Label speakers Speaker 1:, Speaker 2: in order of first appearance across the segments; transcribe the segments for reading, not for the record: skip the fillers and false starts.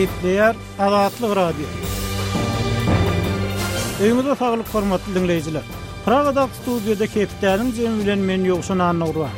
Speaker 1: Gepleýär Azatlyk Radiosy. Öýüňize saglyk hormatly diňleýjiler. Pragadaky studiýada hepdäniň jemi bilen men Ýowşan Annagurban.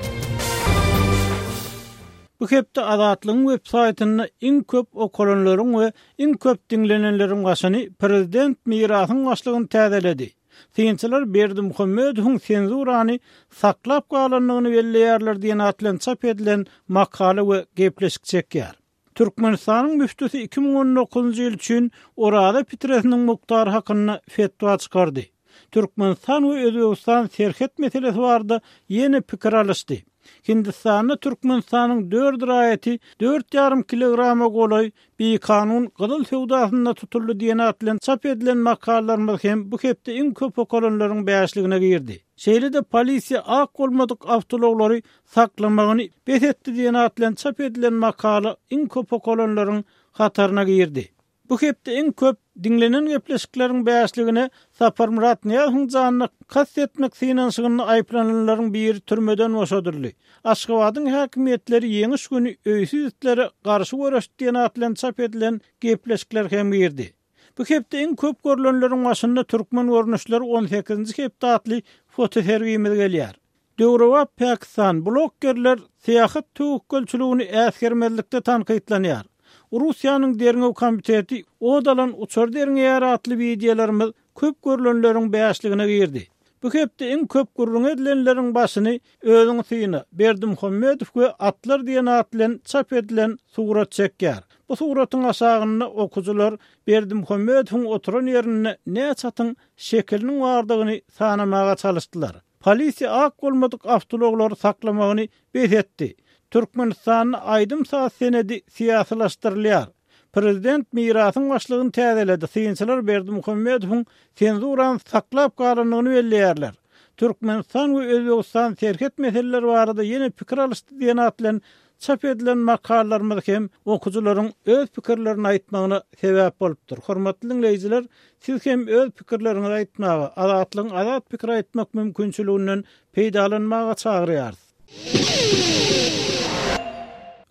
Speaker 1: Bu hepde Azatlygyň web saýtynda iň köp okalanlaryň we iň köp diňlenenleriň başyny prezident Mirasyň başlygyny täzeledi. Synçylar Berdimuhamedowyň senzurany saklap galandygyny belleýärler diýen at bilen çap edilen makala we gepleşik çekýär. Türkmenistanyň müftüsi 2019-njy ýyl üçin Oraza pitresiniň mukdary hakynda fetwa çykardy. Türkmenistan we Özbegistan serhet meselesi barada ýene pikir alyşdy. Hindistanda Türkmenistanyň dört raýaty dört ýarym kilograma golaý bikanun gyzyl söwdasynda tutuldy diýen at bilen çap edilen makalalarymyz hem bu hepde iň köp okalanlaryň bäşligine girdi. Şeýle-de polisiýa ak bolmadyk awtoulaglary saklamagyny bes etdi diýen at bilen çap edilen makala iň köp okalanlaryň hataryna girdi. Bu hepde iň köp diňlenen gepleşikleriň bäşligine Saparmyrat Nyýazowyň janyna kast etmek synanyşygynda aýyplananlaryň biri türmeden boşadyldy. Aşgabadyň häkimiýetleri Ýeňiş güni öýsüz itlere garşy göreşdi diýen at bilen çap edilen gepleşikler hem girdi. Bu hepde iň köp görlenleriň başynda Türkmen görnüşleri on sekizinji hepde atly fotosergimiz gelýär. Döwrebap Pakistan, bloggerler syýahat töwekgelçiligini äsgermezlikde tankytlanýar. Russiýanyň derňew komiteti ot alan uçary derňeýär atly wideolarymyz köp görlenleriň bäşligine girdi. Bu hepde iň köp gürrüňi edilenleriň başyny Özüňi syna, Berdimuhamedow we atlar diýen at bilen çap edilen surat çekýär. Bu suratyň aşagynda okyjylar Berdimuhamedowyň oturan ýerinde näçe atyň şekiliniň bardygyny sanamaga çalyşdylar. Polisiýa ak bolmadyk awtoulaglary saklamagyny bes etdi. Türkmenistanda aýdym-saz senedi syýasylaşdyrylýar. Prezident Mirasyň başlygyny täzeledi, synçylar Berdimuhamedowyň senzurany saklap galandygyny belleýärler. Türkmenistan we Özbegistan serhet meseleleri barada ýene pikir alyşdy diýen at bilen Çap edilen makalalarymyz hem okyjylaryň öz pikirlerini aýtmagyna sebäp bolupdyr. Hormatly diňleýjiler, siz hem öz pikirleriňizi aýtmaga, Azatlygyň azat pikir aýtmak mümkinçiliginden peýdalanmaga çagyrýarys.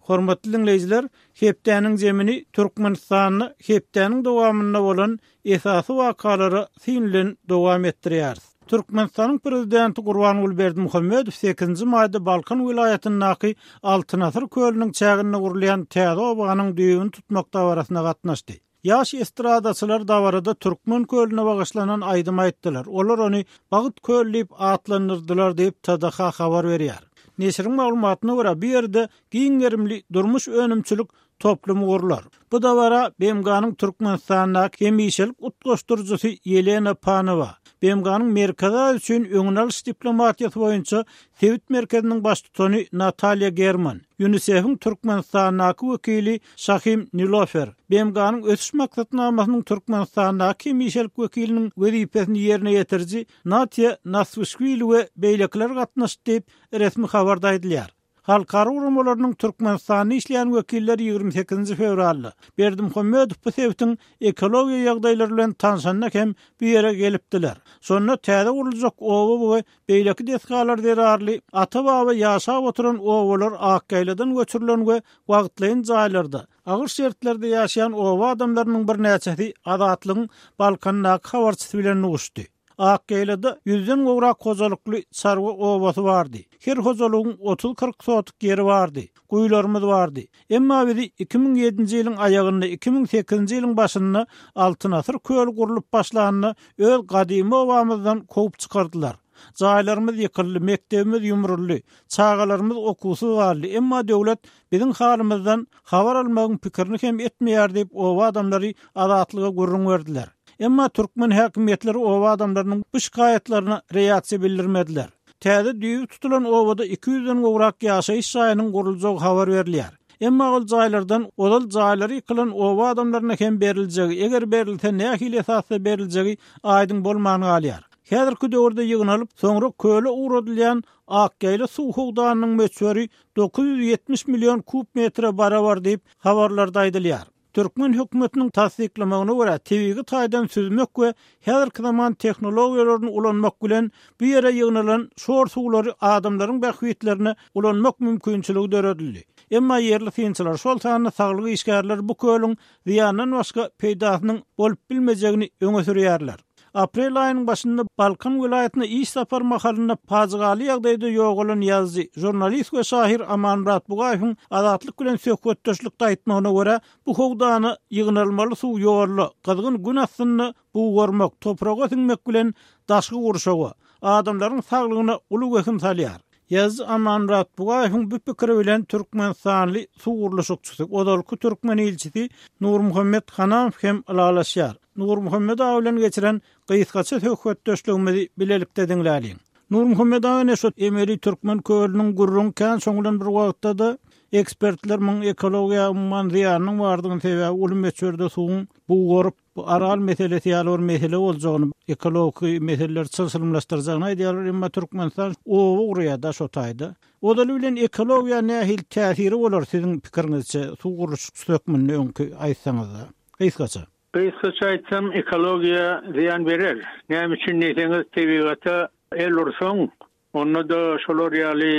Speaker 1: Hormatly diňleýjiler, hepdäniň zemini Türkmenistanda hepdäniň dowamynda bolan esasy wakalara syn bilen dowam etdirýäris. Türkmenistanyň Prezidenti Gurbanguly Berdimuhamedow sekizinji maýda Balkan welaýatyndaky Altyn asyr kölüniň çäginde gurulýan täze obanyň düýbüni tutmak dabarasyna gatnaşdy. Ýaş estradaçylar dabarada Türkmen kölüne bagyşlanan aýdym aýtdylar. Olar ony Bagt köli diýip atlandyrdylar diýip, TDH habar berýär. Neşiriň maglumatyna görä, bu ýerde giň gerimli durmuş-önümçilik toplumy gurlar. Bu dabara BMG-niň Türkmenistandaky hemişelik utgaşdyryjysy Ýelena Panowa, BMG-niň Merkezi Aziýa üçin öňüni alyş diplomatiýasy boýunça sebit merkeziniň baştutany Natalýa German, Ýunisef-iň Türkmenistandaky wekili Şahim Nilofer, BMG-niň Ösüş maksatnamasynyň Türkmenistandaky hemişelik wekiliniň wezipesini ýerine ýetiriji Natiýa Naswişwili we beýlekiler gatnaşdy diýip, resmi habarda aýdylýar. Halkara guramalarynyň Türkmenistanda işleýän wekilleri 28-nji fewralda, Berdimuhamedow bu sebitiň ekologiýa ýagdaýlary bilen tanşanda hem bu ýere gelipdiler. Şonda täze guruljak oba we beýleki desgalar zerarly ata-baba ýaşap oturan obalar Akýaýladan göçürilen we wagtlaýyn jaýlarda, agyr şertlerde ýaşaýan oba adamlarynyň birnäçesi Azatlygyň Balkandaky habarçysy bilen duşdy. Akýaýlada ýüzden gowrak hojalykly çarwa obasy bardy. Her hojalygyň otuz-kyrk sotik ýeri bardy. Guýularymyz bardy. Emma bizi 2007-nji ýylyň aýagynda, 2008-nji ýylyň başynda Altyn asyr köli gurlup başlanda öz gadymy obamyzdan kowup çykardylar. Jaýlarymyz ýykyldy, mekdebimiz ýumruldy, çagalarymyz okuwsyz galdy. Emma döwlet biziň halymyzdan habar almagyň pikirini hem etmeýär diýip, oba adamlary Azatlyga gürrüň berdiler. Emma türkmen häkimiýetleri oba adamlarynyň bu şikaýatlaryna reaksiýa bildirmediler. Täze düýbi tutulan obada iki ýüzden gowrak ýaşaýyş jaýynyň guruljagy habar berilýär. Emma ol jaýlardan ozal jaýlary ýykylan oba adamlaryna hem beriljegi, eger berilse nähili esasda beriljegi aýdyň bolman galýar. Häzirki döwürde ýygnalyp, soňra köle ugradylýan Akýaýla suw howdanynyň möçberi 970 million kub metre barabar diýip, habarlarda aýdylýar. Türkmen hökümetiniň tassyklamagyna görä, tebigy taýdan süzmek we häzirki zaman tehnologiýalaryny ulanmak bilen bu ýere ýygnalan şor suwlary adamlaryň bähbitlerine ulanmak mümkinçiligi döredildi. Emma ýerli synçylar, şol sanda saglyk işgärleri bu kölüň zyýandan başga peýdasynyň bolup bilmejegini öňe sürýärler. Aprel aýynyň başynda Balkan welaýatyna iş sapary mahalynda pajygaly ýagdaýda ýogalan ýazyjy, žurnalist we şahyr Amanmyrat Bugaýewiň Azatlyk bilen söhbetdeşlikde aýtmagyna görä, bu howdana ýygnalmaly suw ýolda, gyzgyn gün astynda bugarmak, topraga siňmek bilen daşky gurşawa, adamlaryň saglygyna uly wehim salýar. Ýazyjy Amanmyrat Bugaýewiň bu pikiri bilen türkmenistanly suw gurluşykçysy, ozalky türkmen ilçisi Nurmuhammet Hanamow hem ylalaşýar. Nurmuhammet aga bilen geçiren gysgaça söhbetdeşligimizi bilelikde diňläliň. Nurmuhammet aga ine şu emeli türkmen kölüniň gürrüňi kän şoň bilen bir wagtda-da ekspertler muň ekologiýa umuman zyýanynyň bardygyny sebäbi uly möçberde suwuň bugaryp bu Aral meselesi ýaly bir mesele boljagyny ekologiki meseleleri çylşyrymlaşdyrjagyny aýdýarlar emma Türkmenistan oba gurýar-da şo taýda. Ozaly bilen ekologiýa nähili täsiri bolar siziň pikiriňizçe suw gurluşykçysy hökmünde öňki aýtsaňyzda. Gysgaça.
Speaker 2: Gysgaça aýtsam, ekologiýa zyýan berer. Näme üçin diýseňiz, tebigata el ursaň, onda-da şolar ýaly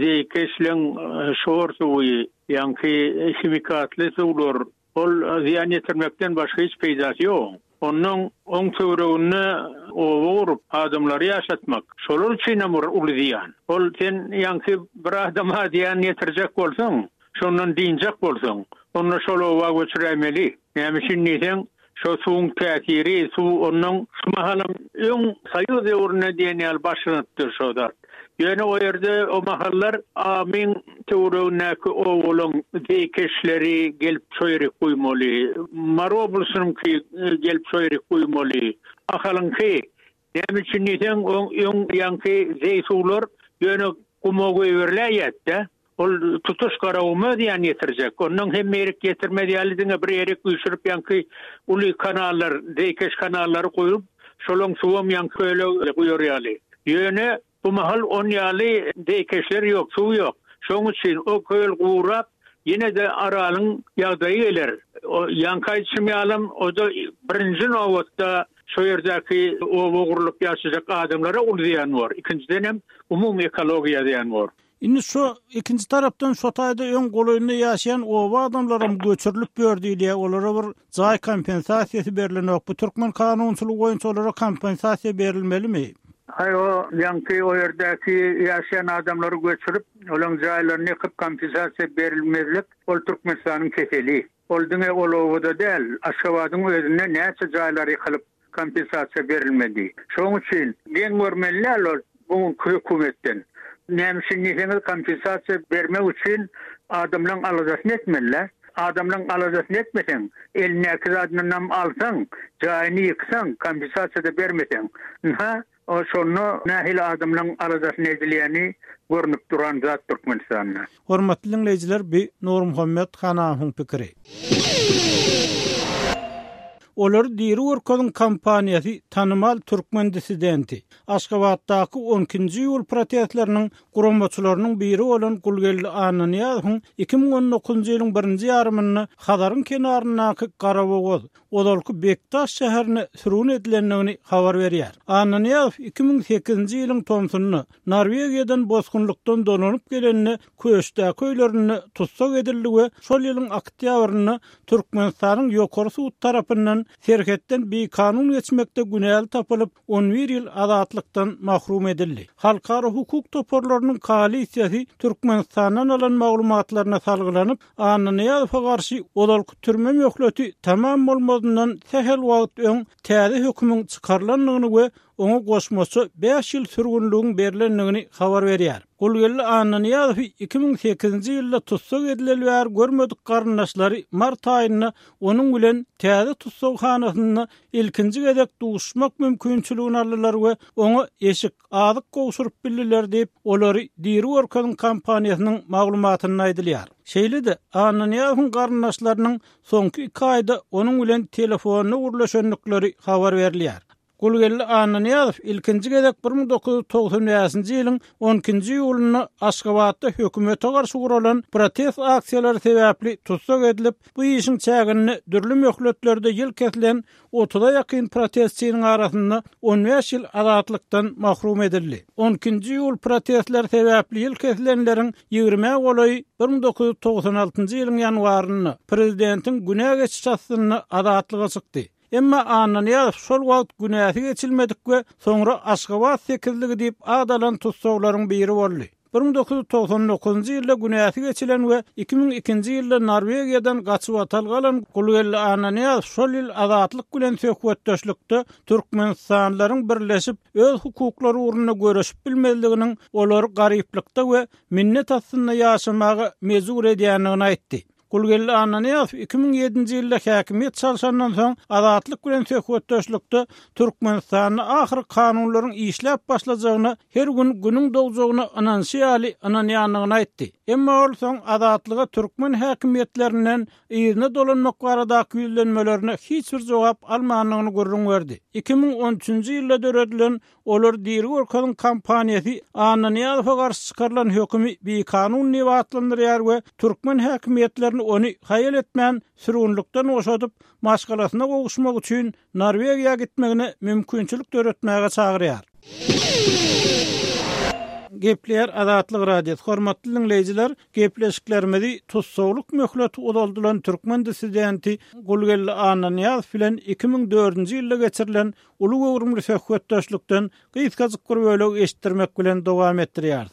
Speaker 2: zeýkeşleň şor suwy, ýaňky himikatly suwlar, ol zyýan ýetirmekden başga hiç peýdasy ýok. Onnoň oň töwereginde oba gurup, adamlary ýaşatmak, şolar üçinem bir uly zyýan. Ol sen ýaňky bir adama zyýan ýetirjek bolsaň, Şondan dynjak bolsaň, onda şol oba göçüräýmeli. Näme üçin diýseň, şo suwuň täsiri, suw onnoň şu mahalam öň soýuz döwründe diýen ýaly başlanypdyr şo zat. Ýöne o ýerde o mahallar Amyň töweregindäki obalaň zeýkeşleri gelip şo ýerik guýmaly, Mary oblasynyňky gelip şo ýerik guýmaly, Ahalyňky. Näme üçin diýseň, oň öň ýaňky zeý suwlar ýöne guma goýberiläýýärdi-dä. Ol tutuş Garaguma zyýan ýetirjek. Onnoň hemme ýerik ýetirmez ýaly diňe bir ýerik üýşürip ýaňky uly kanallar, zeýkeş kanallary guýup, şolaň suwam ýaňky köle guýar ýaly. Ýöne bu mahal on ýaly zeýkeşler ýok, suw ýok. Şoň üçin o köl gurap, ýene-de Aralyň ýagdaýy geler. O ýaňky aýdyşym ýalam, o-da birinji nobatda şo ýerdäki oba gurlup ýaşajak adamlara uly zyýan bor. Ikinjidenem umumy ekologiýa zyýan bor.
Speaker 1: Indi şo ikinji tarapdan şo taýda öň golaýynda ýaşaýan oba adamlaram göçürilip ýör diýilýär, olara bir jaý kompensasiýasy berlenok. Bu türkmen kanunçylygy boýunça olara kompensasiýa berilmelimi?
Speaker 2: Aý o ýaňky o ýerdäki ýaşaýan adamlary göçürip, olaň jaýlaryny ýykyp kompensasiýa berilmezlik ol Türkmenistanyň keseli. Ol diňe ol obada däl, Aşgabadyň özünde näçe jaýlar ýykylyp kompensasiýa berilmedi. Şoň üçin geň görmeli däl ol bu günki hökümetden. Näme üçin diýseňiz kompensasiýa bermek üçin adamlaň aladasyny etmeli-dä. Adamlaň aladasyny etmeseň, elindäki zadynam alsaň, jaýyny ýyksaň, kompensasiýa-da bermeseň. Ynha, Şonda nähili adamlaň aladasyny edilýäni görnüp duran zat Türkmenistanda.
Speaker 1: Hormatly diňleýjiler bi Nurmuhammet Hanamowyň pikiri. Olary diri görkeziň kampaniýasy tanymal türkmen dissidenti, Aşgabatdaky on ikinji iýul protestleriniň guramaçylarynyň biri bolan Gulgeldi Annanyýazowyň 2019-njy ýylyň birinji ýarymynda Hazaryň kenaryndaky Garabogaz, ozalky Bekdaş şäherine sürgün edilendigini habar berýär. Annanyýazow 2008-nji ýylyň tomsunda Norwegiýadan bosgunlykdan dolanyp gelende Köşdäki öýlerinde tussag edildi we şol ýylyň oktýabrynda Türkmenistanyň Ýokary sud tarapyndan serhetden bikanun geçmekde günäli tapylyp, 11 ýyl azatlykdan mahrum edildi. Halkara hukuk toparlarynyň koalisiýasy Türkmenistandan alan maglumatlaryna salgylanyp, Annanyýazowa garşy ozalky türme möhleti tamam bolmazyndan sähel wagt öň täze hökümiň çykarylandygyny we oňa goşmaça bäş ýyl sürgünligiň berlendigini habar berýär. Gulgeldi Annanyýazowy 2008-nji ýylda tussag edileli bäri görmedik garyndaşlary mart aýynda onuň bilen täze tussaghanasynda ilkinji gezek duşuşmak mümkinçiligini aldylar we oňa eşik, azyk gowşuryp bildiler diýip, Olary diri görkeziň kampaniýasynyň maglumatynda aýdylýar. Şeýle-de, Annanyýazowyň garyndaşlarynyň soňky iki aýda onuň bilen telefonda gürleşendikleri habar berilýär. Gulgeldi Annanyýazow ilkinji gezek 1995-nji ýylyň on ikinji iýulynda Aşgabatda hökümete garşy guralan protest aksiýalary sebäpli tussag edilip, bu işiň çäginde dürli möhletlerde ýyl kesilen otuza ýakyn protestçiniň arasynda on bäş ýyl azatlykdan mahrum edildi. On ikinji iýul protestleri sebäpli ýyl kesilenleriň ýigrimä golaýy 1996-njy ýylyň ýanwarynda prezidentiň günä geçişi astynda azatlyga çykdy. Emma Annanyýazow şol wagt günäsi geçilmedik we soňra Aşgabat sekizligi diýip at alan tussaglaryň biri boldy. 1999-njy ýylda günäsi geçilen we 2002-nji ýylda Norwegiýadan gaçybatalga alan Gulgeldi Annanyýazow şol ýyl Azatlyk bilen söhbetdeşlikde türkmenistanlylaryň birleşip, öz hukuklary ugrunda göreşip bilmezliginiň olary garyplykda we minnet astynda ýaşamaga mejbur edýändigini aýtdy. Gulgeldi Annanyýazow 2007-nji ýylda häkimiýet çalşandan soň Azatlyk bilen söhbetdeşlikde Türkmenistanda ahyry kanunlaryň işläp başlajagyna her gün günüň dogjagyna ynanyşy ýaly ynanýandygyny aýtdy. Emma ol soň Azatlyga türkmen häkimiýetlerinden yzyna dolanmak baradaky ýüzlenmelerine hiç bir jogap almandygyny gürrüň berdi. 2013-nji ýylda döredilen Olary diri görkeziň kampaniýasy Annanyýazowa garşy çykarylan hökümi bikanun diýip atlandyrýar we türkmen häkimiýetlerini ony haýal etmän sürgünlikden boşadyp, maşgalasyna gowuşmak üçin Norwegiýa gitmegine mümkinçilik döretmäge çagyrýar. Gepleýär Azatlyk Radiosy, Hormatly diňleýjiler, gepleşiklerimizi tussaglyk möhleti uzaldylan türkmen dissidenti Gulgeldi Annanyýazow bilen 2004-nji ýylda geçirilen Uly göwrümli söhbetdeşlikden gysgajyk bir bölegi eşitdirmek bilen dowam etdirýäris.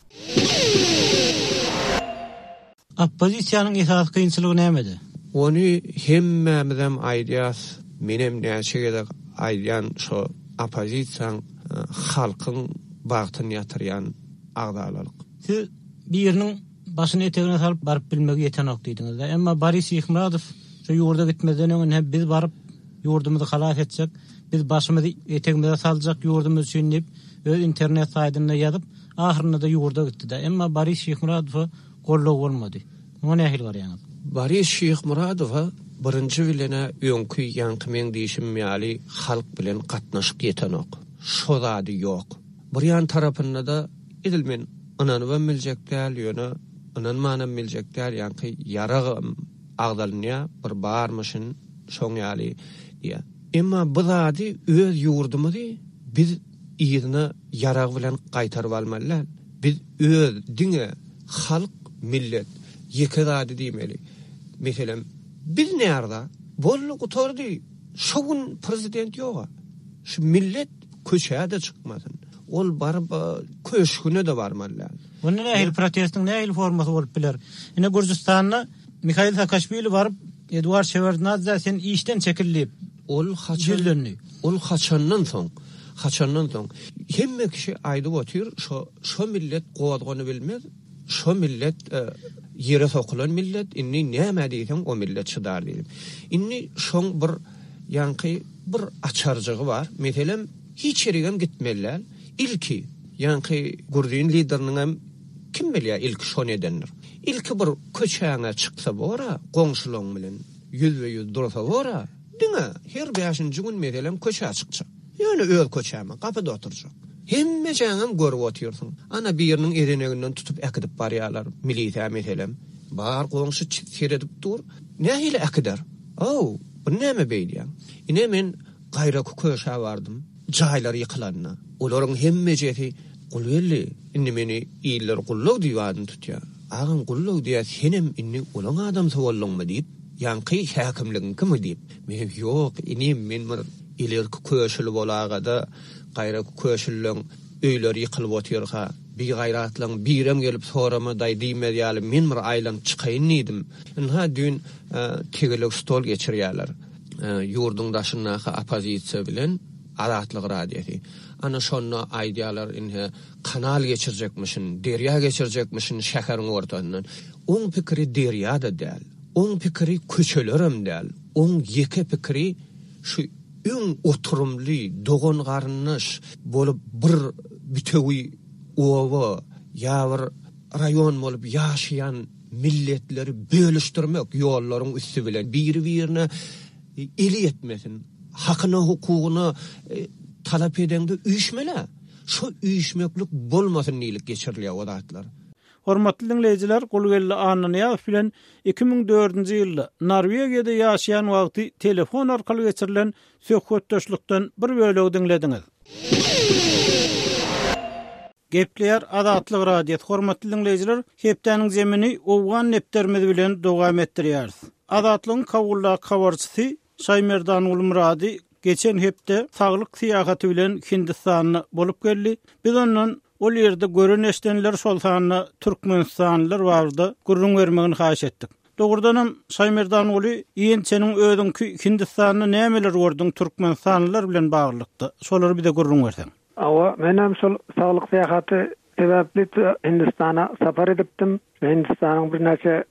Speaker 1: Oppozisiýanyň esasy kynçylygy nämede?
Speaker 3: Ony hemmämizem aýdýas, menem näçe gezek aýdýan şo oppozisiýaň halkyň bagtyny ýatyrýan agzalalyk.
Speaker 1: Siz biriniň Başyny etegine salyp baryp bilmegi ýetenok diýdiňiz-dä. Emma Boris Şyhmyradow şu ýurda gitmezden öň ine biz baryp ýurdumyzy halas etjek, biz başymyzy etegimize saljak ýurdumyz üçin diýip öz internet saýdynda ýazyp, ahyrynda-da ýurda gitdi-dä. Emma Boris Şyhmyradowa goldaw bolmady. Muňa nähili garaýaňyz?
Speaker 3: Boris Şyhmyradowa birinji bilen-ä öňki ýaňky meň diýşim ýaly halk bilen gatnaşyk ýetenok. Şo zady ýok. Bir ýan tarapynda-da Edil men ynanybam biljek däl, ýöne ynanmanam biljek däl, ýaňky ýaragam agzalynýar, bir barmyşyn şoň ýaly diýýär. Emma bu zady öz ýurdumyzy biz yzyna ýarag bilen gaýtaryp almaly däl. Biz öz diňe halk, millet ýeke zady diýmeli. Meselem, biz närza? Boldy, gutardy. Şo gün prezident ýoga. Şu millet köçä-de çykmasyn. Ol baryp köşgüne-de barmaly däl.
Speaker 1: Onda nähili protestiň nähili formasy bolup biler? Ine Gürjüstanda Mihail Saakaşwili baryp Eduard Şewardnadze sen işden çekil diýip
Speaker 3: Ol haçan ýüzlendi. Ol haçandan soň? Haçandan soň? Hemme kişi aýdyp otyr şo şo millet gozganybilmez, şo millet ýere sokulan millet, indi näme diýseň o millet çydar diýip. Indi şoň bir ýaňky bir açarjygy bar. Meselem Hiç ýerigem gitmeli däl. Ilki, ýaňky gruzin lideriniňem kim bilýär ilki şony edendir. Ilki bir köçäňe çyksa bor-a, goňşulaň bilen ýüzbe-ýüz dursa bor-a, diňe her bäşinji gün meselem köçä çykjak. Ýöne öz köçäme, gapyda oturjak. Hemmejäňem görüp otyrsyň. Ana biriniň ezeneginden tutup äkidip barýarlar, milisiýa meselem. Bar goňşy seredip dur. Nähili äkider? Ow, bu näme beýdýäň? Ine men Gaýraky köşä bardym. Jaýlar ýykylanda. Olaryň hemmejesi Gulgeldi, indi meni iller Gullag diýip adyny tutýar. Agam Gullag diýýär, senem indi olaň adamsy bolduňmy diýip, ýaňky häkimligiňkimi diýip. Menem ýok, inim, men bir ilerki köşüli bolagada, gaýraky köşülileň öýleri ýykylyp otyrka, bigaýratlaň birem gelip soramadaý diýmez ýaly men bir aýlanyp çykaýyn diýdim. Ynha düýn tegelek stol geçirýärler. Ýurduň daşyndaky oppozisiýa bilen Azatlyk Radiosy. Ana şonda aýdýarlar ine kanal geçirjekmişin, derýa geçirjekmişin şäheriň ortasyndan. Oň pikiri derýa-da däl. Oň pikiri köçelerem däl. Oň ýeke pikiri şu öň oturymly, dogan-garyndaş bolup bir bütewi oba ýa bir raýon bolup ýaşaýan milletleri bölüşdirmek ýollaryň üsti bilen biri-birine eli ýetmesin, hakyna-hukugyna e, Talap edeňde üýşmel-ä. Şo üýşmeklik bolmasyn diýlip geçirilýär o zatlar.
Speaker 1: Hormatly diňleýjiler, Gulgeldi Annanyýazow bilen 2004-nji ýylda Norwegiýada ýaşaýan wagty telefon arkaly geçirilen söhbetdeşlikden bir bölegi diňlediňiz. Gepleýär Azatlyk Radiosy, Hormatly diňleýjiler, hepdäniň zemini Owgan depderimiz bilen dowam etdirýäris. Azatlygyň Kabuldaky habarçysy Şaýmerdan Gulmyrady geçen hepde saglyk syýahaty bilen Hindistanda bolup geldi. Biz ondan ol ýerde gören-eşidenleri, şol sanda türkmenistanlylar barada gürrüň bermegini haýyş etdik. Dogrudanam, Şaýmerdanguly, ýençeniň özüňki Hindistanda nämeler gördüň türkmenistanlylar bilen baglylykda? Şolary bize gürrüň berseň.
Speaker 4: Hawa, menem şol saglyk syýahaty sebäpli Hindistana sapar edipdim. Hindistanyň birnäçe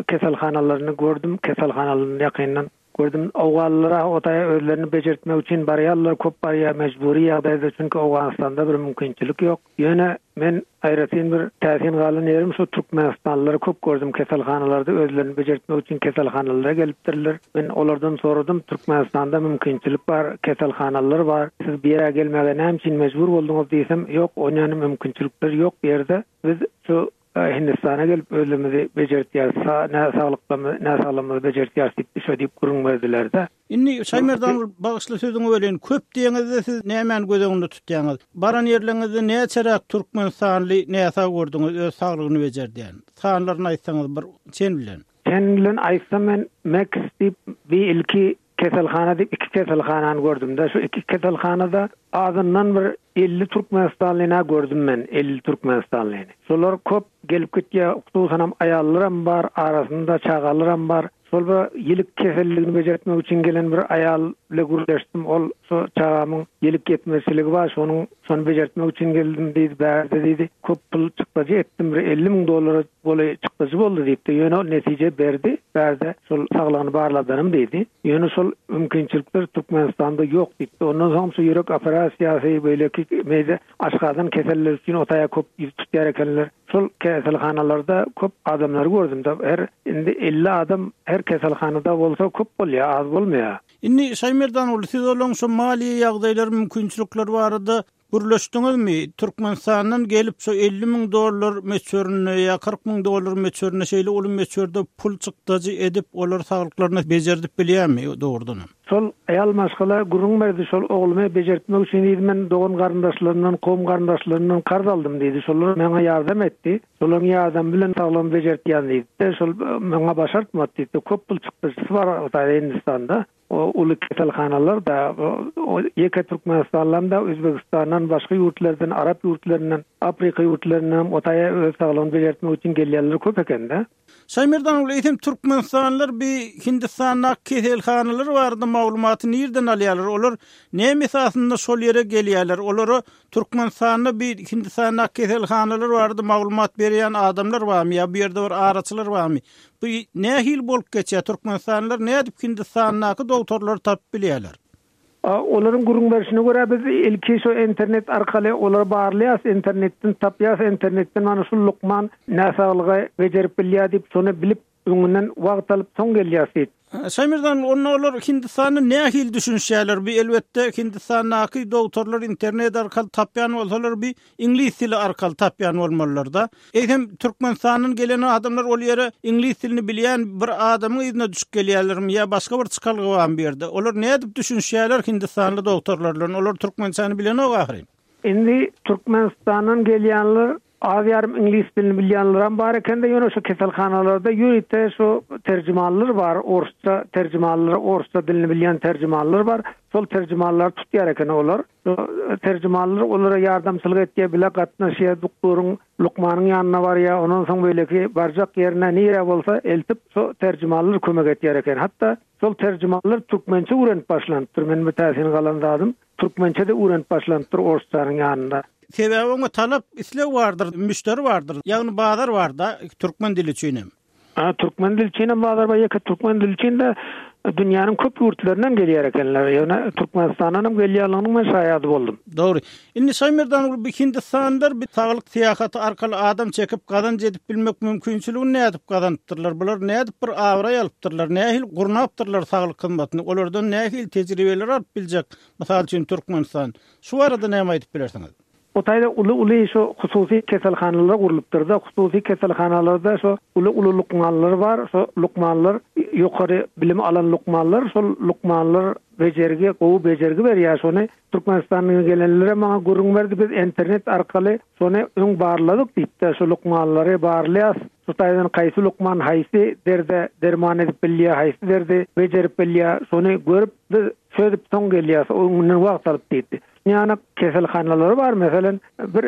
Speaker 4: keselhanalaryny gördüm, keselhanalaryny ýakyndan gördüm. Owganlylar o taýa özlerini bejertmek üçin barýarlar, köp barýar, mejbury ýagdaýda, çünki Owganystanda bir mümkinçilik ýok. Ýöne men aýratyn bir täsin galan ýerim şu türkmenistanlylary köp gördüm keselhanalarda özlerini bejertmek üçin keselhanalara gelipdirler. Men olardan soradym Türkmenistanda mümkinçilik bar, keselhanalar bar, siz bu ýere gelmäge näme üçin mejbur bolduňyz diýsem, ýok onýany mümkinçilikler ýok bu ýerde, biz şu Hindistana gelip özümizi bejertýäris, näsaglyklarymyzy, näsaglygymyzy bejertýäris diýip, şo diýip gürrüň berdiler-de.
Speaker 1: Indi Şaýmerdan ol bagyşla sözüňi böleýin, köp diýeňizde siz nämäni göz öňünde tutýaňyz? Baran ýerleriňizde näçeräk türkmenistanly näsag gördüňiz öz saglygyny bejerdýän? Sanlaryny aýtsaňyz bir çen bilen.
Speaker 4: Çen bilen aýtsam men Meks diýip bir ilki Keselhana diýip iki keselhanany gördüm-de, şu iki keselhanada azyndan bir 50 türkmenistanlyny-a gördüm men, 50 türkmenistanlyny. Şolar köp gelip gitýär, hususanam aýallaram bar, arasynda çagalaram bar. Şol bir ýilik keselligini bejertmek üçin gelen bir aýal bile gürleşdim, ol şu çagamyň ýilik ýetmezçiligi bar, şonuň şony bejertmek üçin geldim diýdi, bärde diýdi, köp pul çykdajy etdim, bir 50 müň dollara golaý çykdajy boldy diýipdi, ýöne ol netije berdi, bärde şol saglygyny barladanym diýdi. Ýöne şol mümkinçilikler Türkmenistanda ýok diýipdi. Ondan soň şu ýürek operasiýasy, beýleki meýde aşgazan keselleri üçin o taýa köp ýüz tutýar ekenler. Şol keselhanalarda köp adamlary gördüm-de, her indi 50 adam her keselhanada bolsa köp bolýar, az bolmaýar.
Speaker 1: Indi Şaýmerdan ogly siz olaň şu maliýe ýagdaýlary, mümkinçilikleri barada Gürleşdiňizmi? Türkmenistandan gelip şu 50 müň dollar möçberinde ýa 40 müň dollar möçberinde şeýle uly möçberde pul çykdajy edip olar saglyklaryny bejerdip bilýärmi dogrudanam?
Speaker 4: Şol aýal maşgala gürrüň berdi şol oglumy bejertmek üçin diýdi men dogan garyndaşlarymdan kowum garyndaşlarymdan karz aldym diýdi şolar maňa ýardam etdi şolaryň ýardamy bilen saglygymy bejertýän diýdi şol maňa başartmady diýdi köp pul çykdajysy bar Hindistanda O uly keselhanalar-da, ýeke Türkmenistandan-da, Özbegistandan, başga ýurtlardan, arap ýurtlaryndan, Afrika ýurtlaryndanam o taýa öz saglygyny bejertmek üçin gelýänler köp eken-de.
Speaker 1: Şaýmerdan ogly, eýsem türkmenistanlylar bi Hindistandaky keselhanalar barada maglumaty nirden alýarlar? Olar näme esasynda şol ýere gelýärler? Olara Türkmenistanda bi Hindistandaky keselhanalar barada maglumat berýän adamlar barmy ýa bu ýerde bir araçylar barmy? Bu nähili bolup geçýär? Türkmenistanlylar nädip Hindistandaky dogtorlary tapyp bilýärler?
Speaker 4: Olaryň gürrüň berşine görä biz ilki şo internet arkaly olary barlaýas, internetden tapýas, internetden mana şu lukman näsaglygy bejerip bilýär diýip şony bilip Öňünden wagt alyp soň gelýäs diýip.
Speaker 1: Şaýmerdan onda olar Hindistanda nähili düşünişýärler bi elbetde Hindistandaky dogtorlar internet arkaly tapýan bolsalar bi iňlis dili arkaly tapýan bolmalylarda. Eýsem Türkmenistandan gelen adamlar ol ýere iňlis dilini bilýän bir adamyň yzyna düşüp gelýärlermi ýa başga bir çykalga barmy bu ýerde? Olar nädip düşünişýärler hindistanly dogtorlar bilen olar türkmençäni bilenok ahyryn.
Speaker 4: Indi Türkmenistandan gelýänler Az-ýarym iňlis dilini bilýänlerem bar ekende, ýöne şu keselhanalarda ýörite şu terjimanlar bar, orsça terjimanlar, orsça dilini bilýän terjimanlar bar. Şol terjimanlary tutýar eken olar. Şu terjimanlar olara ýardamçylyk etýär, bile gatnaşýar, duktoryň, lukmanyň ýanyna barýar, ondan soň beýleki barjak ýerine nirä bolsa eltip şu terjimanlar kömek etýär eken. Hatda şol terjimanlar türkmençe öwrenip başlanypdyr. Meniň bir täsin galan zadym. Türkmençe-de öwrenip başlanypdyr orsçanyň ýanynda.
Speaker 1: Sebäbi oňa talap, isleg bardyr, müşderi bardyr. Ýagny bazar bar-da türkmen dili üçin hem.
Speaker 4: Ha, türkmen dili üçin hem bazar bar, ýeke türkmen dili üçin de dünýäniň köp ýurtlaryndan gelýär ekenler. Ýöne Türkmenistandan hem gelýänliginiň men şaýady boldum.
Speaker 1: Dogry. Indi Şaýmerdan uly bu Hindistanlylar bir saglyk syýahaty arkaly adam çekip gazanç edip bilmek mümkinçiligini nädip gazanypdyrlar? Bular nädip bir abraý alypdyrlar? Nähili gurnapdyrlar saglyk hyzmatyny? Olardan nähili tejribeler alyp biljek, mysal üçin, Türkmenistan? Şu barada näme aýdyp bilersiňiz?
Speaker 4: O taýda uly-uly şo hususy keselhanalar gurlupdyr-da, hususy keselhanalarda şo uly-uly lukmanlar bar, şo lukmanlar ýokary bilim alan lukmanlar, şol lukmanlar bejergi, gowy bejergi berýär, şony Türkmenistandan gelenlerem maňa gürrüň berdi, biz internet arkaly şony öň barladyk diýip-de, şo lukmanlary barlaýas, şu taýdan haýsy lukman haýsy derde derman edip bilýär, haýsy derdi bejerip bilýär, şony görüp biz çözüp soň gelýäs, öňünden wagt alyp diýdi. Ýanyk keselhanalary bar, meselem, bir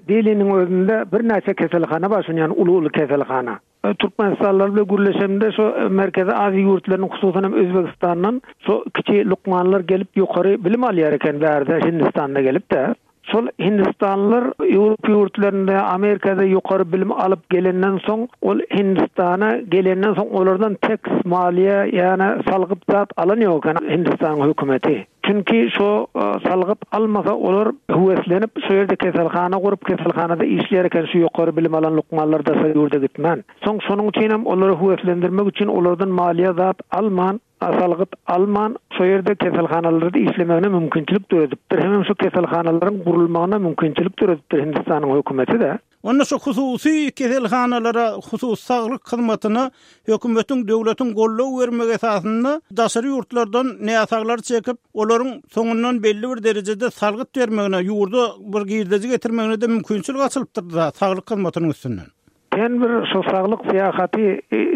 Speaker 4: Deliniň özünde birnäçe keselhana bar, şuny ýaly uly-uly keselhana. Türkmenistanlylar bilen gürleşemde şo Merkezi Aziýa ýurtlarynyň hususan hem Özbegistandan şo kiçi lukmanlar gelip ýokary bilim alýar eken bärde Hindistanda gelip-de. Şol hindistanlylar Ýewropa ýurtlarynda, Amerikada ýokary bilim alyp gelenden soň ol Hindistana gelenden soň olardan teks, maliýe ýa-da salgyt zat alan ýok eken Hindistanyň hökümeti. Çünki şo salgyt almasa olar höweslenip şo ýerde keselhana gurup keselhanada işleýär eken şu ýokary bilim alan lukmanlar daşary ýurda gitmän. Soň şonuň üçinem olary höweslendirmek üçin olardan maliýe zat alman salgyt alman şo ýerde keselhanalarda işlemegine mümkinçilik döredipdir hemem şo keselhanalaryň gurulmagyna mümkinçilik döredipdir Hindistanyň hökümeti-de.
Speaker 1: Onda şu hususy keselhanalara, hususy saglyk hyzmatyna hökümetiň, döwletiň goldaw bermegi esasynda daşary ýurtlardan näsaglary çekip, olaryň soňundan belli bir derejede salgyt bermegine, ýurda bir girdeji getirmegine-de mümkinçilik açylypdyr-da saglyk hyzmatynyň üstünden.
Speaker 4: Sen bir şu saglyk syýahaty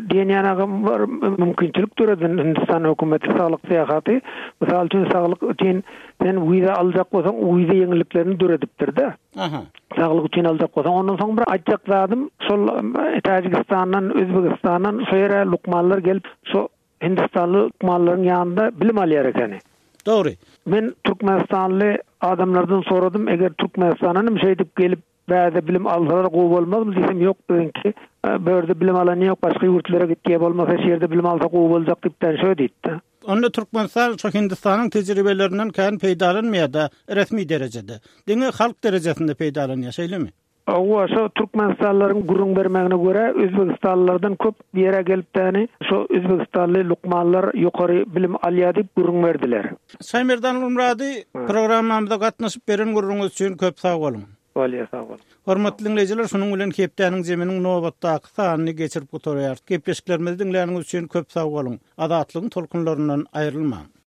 Speaker 4: diýen ýanagy bir mümkinçilik döreden Hindistan hökümeti saglyk syýahaty, mysal üçin saglyk üçin sen wiza aljak bolsaň wiza ýeňilliklerini döredipdir-de.
Speaker 1: Aha.
Speaker 4: Saglyk üçin aljak bolsaň, ondan soň bir aýtjak zadym, şol Täjigistandan, Özbegistandan şo ýere lukmanlar gelip, şo hindistanly lukmanlaryň ýanynda bilim alýar ekeni.
Speaker 1: Dogry.
Speaker 4: Men türkmenistanly adamlardan soradym, eger Türkmenistandan hem şeýdip gelip bärde bilim alsalar gowy bolmazmy diýsem, ýok biziňki bu ýerde bilim alan ýok, başga ýurtlara gitýär, bolmasa şu ýerde bilim alsa gowy boljak diýipden şo diýdi.
Speaker 1: Onda Türkmenistan şo Hindistanyň tejribelerinden kän peýdalanmaýar-da resmi derejede. Diňe halk derejesinde peýdalanýar, şeýlemi?
Speaker 4: Hawa, şo türkmenistanlylaryň gürrüň bermegine görä, özbegistanlylardan köp bu ýere gelip-däni şo özbegistanly lukmanlar ýokary bilim alýar diýip gürrüň berdiler.
Speaker 1: Şaýmerdan Gulmyrady, programmamyza gatnaşyp beren gürrüňiz üçin köp sag boluň.
Speaker 4: Bolýar, sag boluň.
Speaker 1: Hormatly diňleýjiler, şunuň bilen hepdäniň zeminiň nobatdaky sanyny geçirip gutarýarys. Gepleşiklerimizi diňläniňiz üçin köp sag boluň. Azatlygyň tolkunlaryndan aýrylmaň.